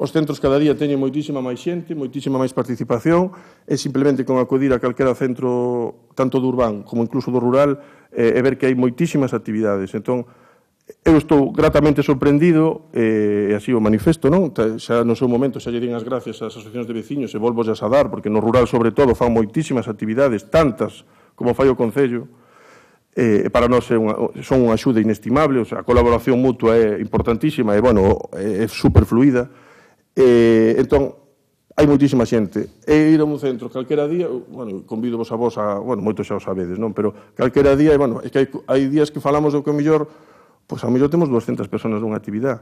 Os centros cada día teñen moitísima máis xente, moitísima máis participación, e simplemente con acudir a calquera centro, tanto do urbán como incluso do rural, e ver que hai moitísimas actividades. Entón, eu estou gratamente sorprendido, e así o manifesto, non? Xa no seu momento xa lle din as gracias ás asociacións de veciños, e volvo a dar, porque no rural, sobre todo, fan moitísimas actividades, tantas como fai o Concello, para nós son unha axuda inestimable, a colaboración mutua é importantísima, e, bueno, é superfluida. Entón, hai moitísima xente. E ir a un centro calquera día, bueno, convido vos a vos, bueno, moito xa o sabedes, non? Pero calquera día, bueno, é que hai días que falamos do que o mellor, pois ao mellor temos 200 personas nunha actividade.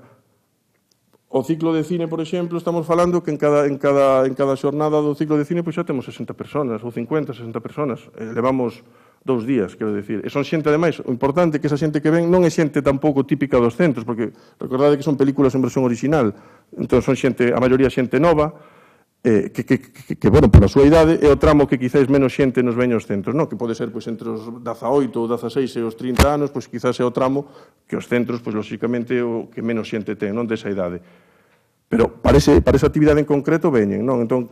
O ciclo de cine, por exemplo, estamos falando que en cada xornada do ciclo de cine pois xa temos 60 personas, ou 50, 60 personas. Levamos 2 días, quero dicir. E son xente, ademais, o importante é que esa xente que ven non é xente tampouco típica dos centros, porque recordade que son películas en versión original. Entón, son xente, a maioría xente nova, que bueno, pola súa idade, é o tramo que quizáis menos xente nos veña aos centros, non? Que pode ser, pois, entre os 18 ou 16 e os 30 anos, pois, quizás é o tramo que os centros, pois, lóxicamente, o que menos xente ten, non? Desa idade. Pero para esa actividade en concreto veñen, non? Entón,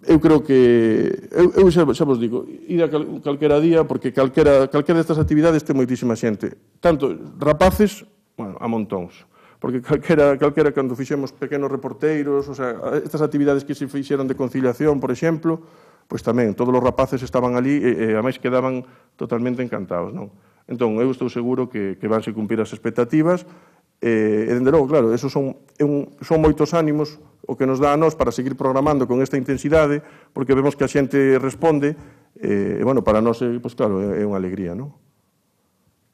eu creo que, eu xa vos digo, id a calquera día, porque calquera destas actividades ten moitísima xente. Tanto rapaces, bueno, a montóns. Porque calquera cando fixemos pequenos reporteiros, o sea, estas actividades que se fixeron de conciliación, por exemplo, pois tamén, todos os rapaces estaban ali e ademais quedaban totalmente encantados, non? Entón, eu estou seguro que vanse cumprir as expectativas e, dende logo, claro, esos son moitos ánimos o que nos dá a nós para seguir programando con esta intensidade, porque vemos que a xente responde e, bueno, para nós, pois claro, é unha alegría, non?